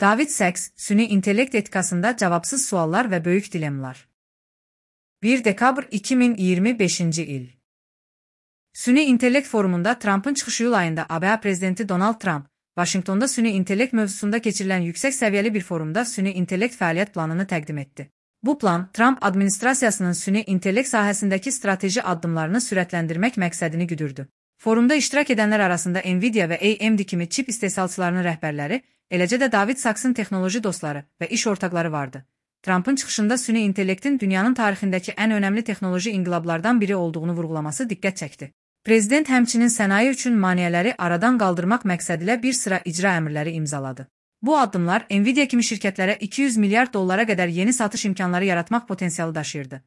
David Sacks, süni intellekt etikasında cevapsız suallar ve büyük dilemmalar. 1 dekabr 2025 il. Süni intellekt forumunda Trump'ın çıxış yıl ayında ABA prezidenti Donald Trump, Washington'da süni intellekt mövzusunda keçirilən yüksek seviyeli bir forumda süni intellekt fəaliyyət planını təqdim etdi. Bu plan, Trump administrasiyasının süni intellekt sahəsindəki strateji addımlarını sürətləndirmək məqsədini güdürdü. Forumda iştirak edənlər arasında Nvidia və AMD kimi çip istehsalçılarının rəhbərləri, eləcə də David Sacks'ın texnoloji dostları və iş ortaqları vardı. Trump'ın çıxışında süni intellektin dünyanın tarixindəki ən önəmli texnoloji inqilablardan biri olduğunu vurğulaması diqqət çəkdi. Prezident həmçinin sənaye üçün maneələri aradan qaldırmaq məqsədilə bir sıra icra əmrləri imzaladı. Bu addımlar Nvidia kimi şirkətlərə 200 milyard dollara qədər yeni satış imkanları yaratmaq potensialı daşıyırdı.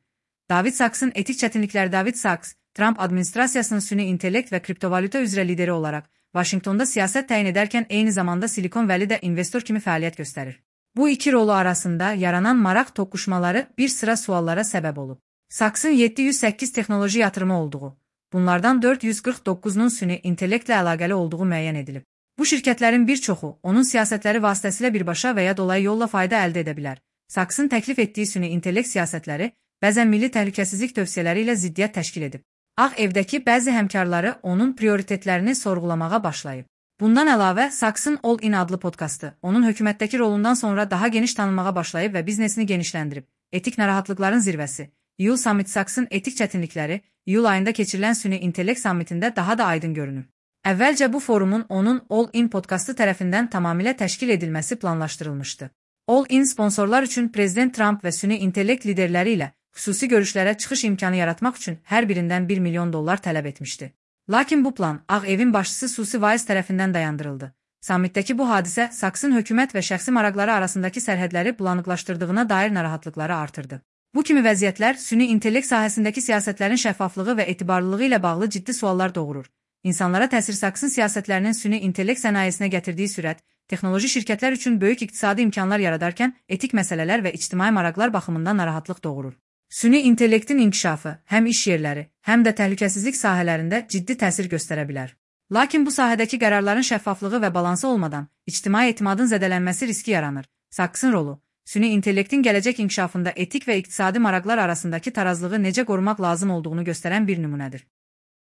David Sacks'ın etik çətinlikləri. David Sacks, Trump administrasiyasının süni intellekt və kriptovalyuta üzrə lideri olaraq Washington'da siyasət təyin edərkən eyni zamanda Silikon Valley'də investor kimi fəaliyyət göstərir. Bu iki rolu arasında yaranan maraq toqquşmaları bir sıra suallara səbəb olub. Sacks'ın 708 texnoloji yatırımı olduğu, bunlardan 449'nun süni intellektlə əlaqəli olduğu müəyyən edilib. Bu şirkətlərin bir çoxu onun siyasətləri vasitəsilə birbaşa və ya dolayı yolla fayda əldə edə bilər. Sacks'ın təklif etdiyi süni intellekt siyasətləri bəzən milli təhlükəsizlik tövsiyələri ilə ziddiyyət təşkil edib. Ağ Evdəki bəzi həmkarları onun prioritetlərini sorğulamağa başlayıb. Bundan əlavə, Sacks'ın All In adlı podkastı onun hökumətdəki rolundan sonra daha geniş tanınmağa başlayıb və biznesini genişləndirib. Etik narahatlıqların zirvəsi. İyul Summit. Sacks'ın etik çətinlikləri iyul ayında keçirilən süni intellekt sammitində daha da aydın görünür. Əvvəlcə bu forumun onun All In podkastı tərəfindən tamamilə təşkil edilməsi planlaşdırılmışdı. All In sponsorlar üçün Prezident Trump və süni intellekt liderləri ilə xüsusi görüşlərə çıxış imkanı yaratmaq üçün hər birindən $1 milyon tələb etmişdi. Lakin bu plan Ağ Evin başçısı Susi Weiss tərəfindən dayandırıldı. Sammitdəki bu hadisə Sacks'ın hökumət və şəxsi maraqları arasındakı sərhədləri bulanıqlaşdırdığına dair narahatlıqları artırdı. Bu kimi vəziyyətlər süni intellekt sahəsindəki siyasətlərin şəffaflığı və etibarlılığı ilə bağlı ciddi suallar doğurur. İnsanlara təsir. Sacks'ın siyasətlərinin süni intellekt sənayesinə gətirdiyi sürət, texnoloji şirkətlər üçün böyük iqtisadi imkanlar yaradarkən etik məsələlər və ictimai maraqlar baxımından narahatlıq doğurur. Süni intellektin inkişafı həm iş yerləri, həm də təhlükəsizlik sahələrində ciddi təsir göstərə bilər. Lakin bu sahədəki qərarların şəffaflığı və balansı olmadan ictimai etimadın zədələnməsi riski yaranır. Sacks'ın rolu süni intellektin gələcək inkişafında etik və iqtisadi maraqlar arasındakı tarazlığı necə qorumaq lazım olduğunu göstərən bir nümunədir.